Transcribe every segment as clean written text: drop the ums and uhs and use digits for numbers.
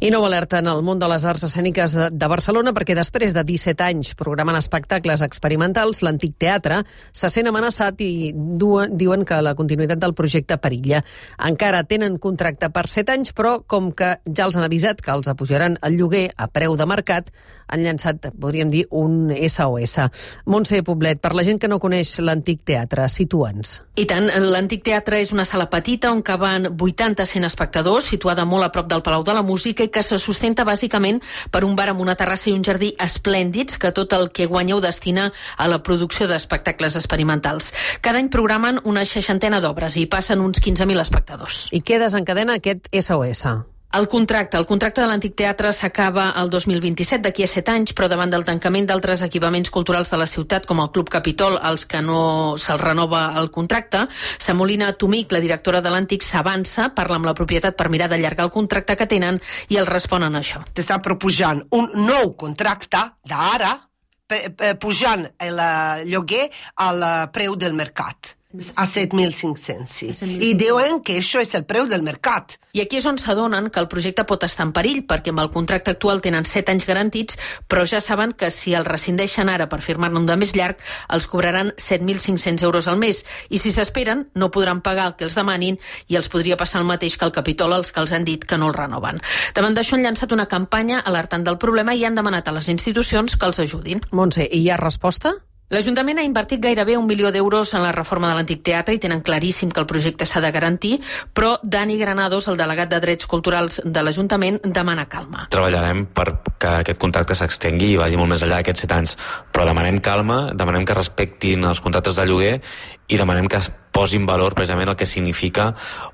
I nova alerta en el món de les arts escèniques de Barcelona perquè després de 17 anys programant espectacles experimentals, l'antic teatre se sent amenaçat i diuen que la continuïtat del projecte perilla. Encara tenen contracte per 7 anys, però com que ja els han avisat que els apujaran el lloguer a preu de mercat, han llançat, podríem dir, un SOS. Montse Poblet, per la gent que no coneix l'antic teatre, situa'ns. I tant, l'antic teatre és una sala petita on caben 80-100 espectadors, situada molt a prop del Palau de la Música i que se sustenta bàsicament per un bar amb una terrassa i un jardí esplèndids que tot el que guanyeu destina a la producció d'espectacles experimentals. Cada any programen una 60 d'obres i passen uns 15.000 espectadors. I què desencadena aquest SOS? El contracte de l'antic teatre s'acaba el 2027, d'aquí a 7 anys, però davant del tancament d'altres equipaments culturals de la ciutat, com el Club Capitol, als que no se'ls renova el contracte, Samolina Tomic, la directora de l'antic, s'avança, parla amb la propietat per mirar d'allargar el contracte que tenen i els responen això. S'està proposant un nou contracte d'ara, pujant el lloguer al preu del mercat. A 7.500, I diuen que això és el preu del mercat. I aquí és on s'adonen que el projecte pot estar en perill, perquè amb el contracte actual tenen 7 anys garantits, però ja saben que si el rescindeixen ara per firmar-ne un de més llarg, els cobraran 7.500 euros al mes. I si s'esperen, no podran pagar el que els demanin i els podria passar el mateix que al Capitol, els que els han dit que no el renoven. Davant d'això han llançat una campanya alertant del problema i han demanat a les institucions que els ajudin. Montse, i hi ha resposta? L'Ajuntament ha invertit gairebé 1 milió d'euros en la reforma de l'antic teatre i tenen claríssim que el projecte s'ha de garantir, però Dani Granados, el delegat de Drets Culturals de l'Ajuntament, demana calma. Treballarem perquè aquest contracte s'extengui i vagi molt més enllà d'aquests 7 anys, però demanem calma, demanem que respectin els contractes de lloguer i demanem que es posi en valor precisament el que significa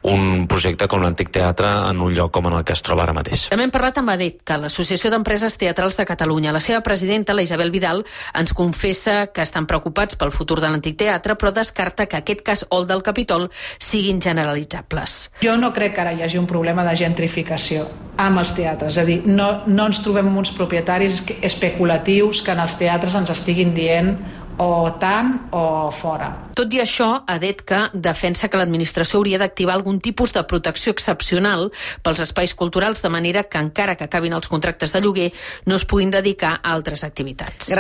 un projecte com l'antic teatre en un lloc com en el que es troba ara mateix. També hem parlat amb ADET, que l'Associació d'Empreses Teatrals de Catalunya. La seva presidenta, la Isabel Vidal, ens confessa que estan preocupats pel futur de l'antic teatre, però descarta que aquest cas o el del Capitol siguin generalitzables. Jo no crec que ara hi hagi un problema de gentrificació amb els teatres. És a dir, no ens trobem amb uns propietaris especulatius que en els teatres ens estiguin dient o tant o fora. Tot i això, ADETCA defensa que l'administració hauria d'activar algun tipus de protecció excepcional pels espais culturals, de manera que encara que acabin els contractes de lloguer no es puguin dedicar a altres activitats.